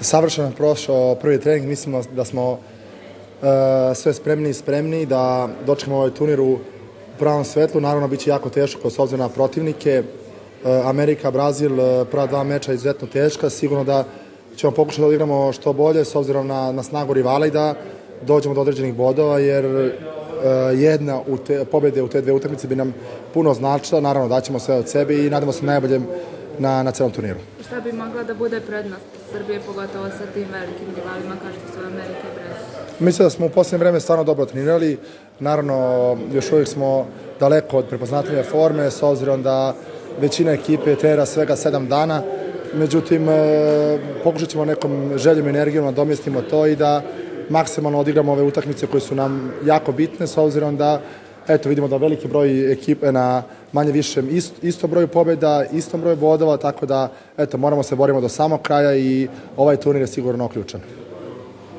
savršeno prošao prvi trening. Mislim da smo sve spremni da dočekamo ovaj turnir u pravom svetlu. Naravno, bit će jako teško s obzirom na protivnike. Amerika, Brazil, prva dva meča izuzetno teška. Sigurno da ćemo pokušati da odigramo što bolje s obzirom na snagu rivala i da dođemo do određenih bodova, jer jedna pobjede u te dve utakmice bi nam puno značila. Naravno, daćemo sve od sebe i nadamo se najboljem na celom turniru. Šta bi mogla da bude prednost Srbije, pogotovo sa tim velikim rivalima kao što su Amerika i Brazil? Mislim da smo u posljednje vreme stvarno dobro trenirali. Naravno, još uvijek smo daleko od prepoznatljive forme, s obzirom da većina ekipe trenira svega 7 dana. Međutim, pokušat ćemo nekom željom i energijom nadomjestimo to i da maksimalno odigramo ove utakmice koje su nam jako bitne, s obzirom da vidimo da veliki broj ekipe na manje više istom broju pobjeda, istom broju bodova, tako da moramo se borimo do samog kraja i ovaj turnir je sigurno ključan.